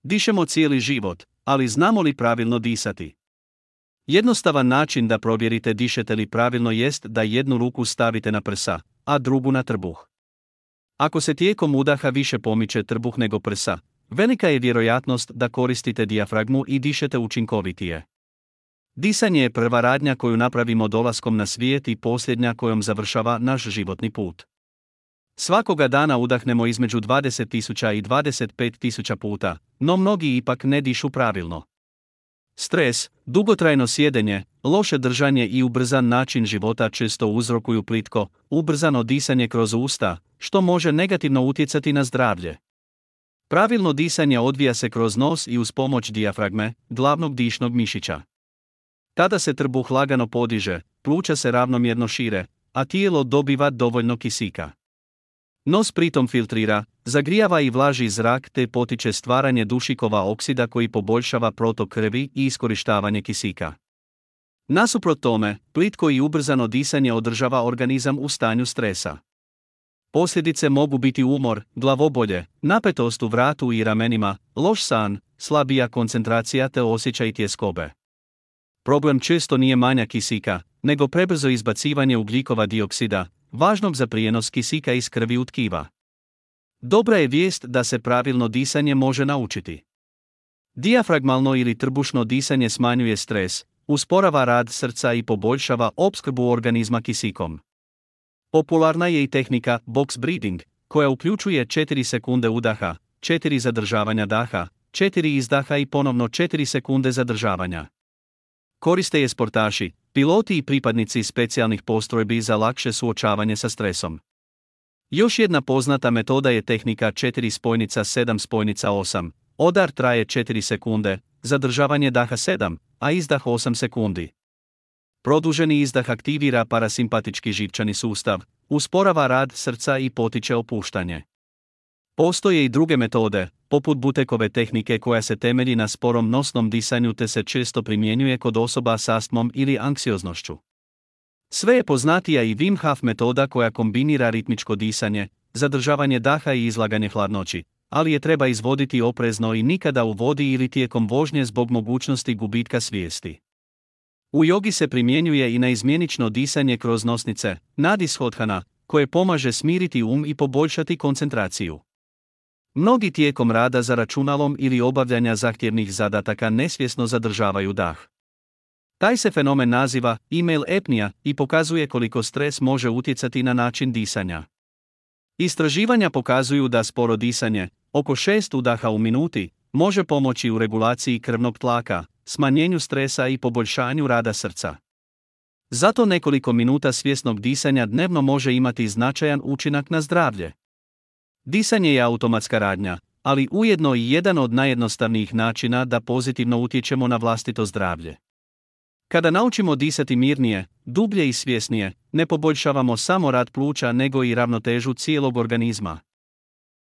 Dišemo cijeli život, ali znamo li pravilno disati? Jednostavan način da provjerite dišete li pravilno jest da jednu ruku stavite na prsa, a drugu na trbuh. Ako se tijekom udaha više pomiče trbuh nego prsa, velika je vjerojatnost da koristite dijafragmu i dišete učinkovitije. Disanje je prva radnja koju napravimo dolaskom na svijet i posljednja kojom završava naš životni put. Svakoga dana udahnemo između 20.000 i 25.000 puta, no mnogi ipak ne dišu pravilno. Stres, dugotrajno sjedenje, loše držanje i ubrzan način života često uzrokuju plitko, ubrzano disanje kroz usta, što može negativno utjecati na zdravlje. Pravilno disanje odvija se kroz nos i uz pomoć dijafragme, glavnog dišnog mišića. Tada se trbuh lagano podiže, pluća se ravnomjerno šire, a tijelo dobiva dovoljno kisika. Nos pritom filtrira, zagrijava i vlaži zrak te potiče stvaranje dušikova oksida koji poboljšava protok krvi i iskorištavanje kisika. Nasuprot tome, plitko i ubrzano disanje održava organizam u stanju stresa. Posljedice mogu biti umor, glavobolje, napetost u vratu i ramenima, loš san, slabija koncentracija te osjećaj tjeskobe. Problem često nije manjak kisika, nego prebrzo izbacivanje ugljikova dioksida, važnog za prijenos kisika iz krvi u tkiva. Dobra je vijest da se pravilno disanje može naučiti. Dijafragmalno ili trbušno disanje smanjuje stres, usporava rad srca i poboljšava opskrbu organizma kisikom. Popularna je i tehnika box breathing, koja uključuje 4 sekunde udaha, 4 zadržavanja daha, 4 izdaha i ponovno 4 sekunde zadržavanja. Koriste je sportaši, piloti i pripadnici specijalnih postrojbi za lakše suočavanje sa stresom. Još jedna poznata metoda je tehnika 4 spojnica 7 spojnica 8. Odar traje 4 sekunde, zadržavanje daha 7, a izdah 8 sekundi. Produženi izdah aktivira parasimpatički živčani sustav, usporava rad srca i potiče opuštanje. Postoje i druge metode, poput Butekove tehnike koja se temelji na sporom nosnom disanju te se često primjenjuje kod osoba s astmom ili anksioznošću. Sve je poznatija i Wim Hof metoda koja kombinira ritmičko disanje, zadržavanje daha i izlaganje hladnoći, ali je treba izvoditi oprezno i nikada u vodi ili tijekom vožnje zbog mogućnosti gubitka svijesti. U jogi se primjenjuje i naizmjenično disanje kroz nosnice, nadishodhana, koje pomaže smiriti i poboljšati koncentraciju. Mnogi tijekom rada za računalom ili obavljanja zahtjevnih zadataka nesvjesno zadržavaju dah. Taj se fenomen naziva email apnea i pokazuje koliko stres može utjecati na način disanja. Istraživanja pokazuju da sporo disanje, oko 6 udaha u minuti, može pomoći u regulaciji krvnog tlaka, smanjenju stresa i poboljšanju rada srca. Zato nekoliko minuta svjesnog disanja dnevno može imati značajan učinak na zdravlje. Disanje je automatska radnja, ali ujedno i jedan od najjednostavnijih načina da pozitivno utječemo na vlastito zdravlje. Kada naučimo disati mirnije, dublje i svjesnije, ne poboljšavamo samo rad pluća nego i ravnotežu cijelog organizma.